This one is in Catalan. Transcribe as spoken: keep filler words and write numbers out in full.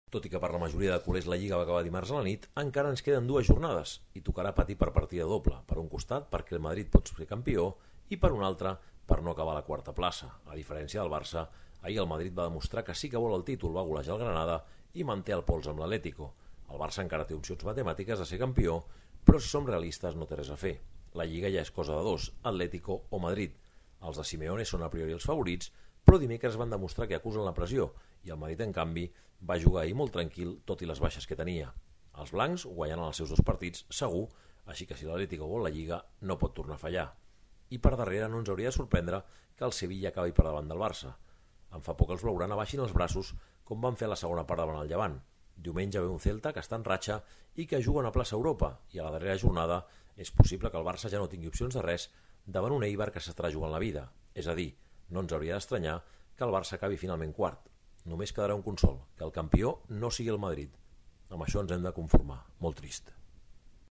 Tot i que per la majoria de culers la Lliga va acabar dimarts a la nit, encara ens queden dues jornades i tocarà patir per partida doble, per un costat perquè el Madrid pot ser campió i per un altre per no acabar a la quarta plaça. A diferència del Barça, ahir el Madrid va demostrar que sí que vol el títol, va golejar el Granada i manté el pols amb l'Atlético. El Barça encara té opcions matemàtiques de ser campió, però si som realistes no té res a fer. La Lliga ja és cosa de dos, Atlético o Madrid. Els de Simeone són a priori els favorits, però dimecres van demostrar que acusen la pressió i el Madrid, en canvi, va jugar ahir molt tranquil, tot i les baixes que tenia. Els blancs guanyaran els seus dos partits, segur, així que si l'Atlético vol la Lliga no pot tornar a fallar. I per darrere no ens hauria de sorprendre que el Sevilla acabi per davant del Barça. Em fa por que els blaugrana baixin els braços com van fer a la segona part davant el Llevant. Diumenge ve un Celta que està en ratxa i que juga a una plaça Europa, i a la darrera jornada és possible que el Barça ja no tingui opcions de res davant un Eibar que s'estarà jugant la vida. És a dir, no ens hauria d'estranyar que el Barça acabi finalment quart. Només quedarà un consol, que el campió no sigui el Madrid. Amb això ens hem de conformar. Molt trist.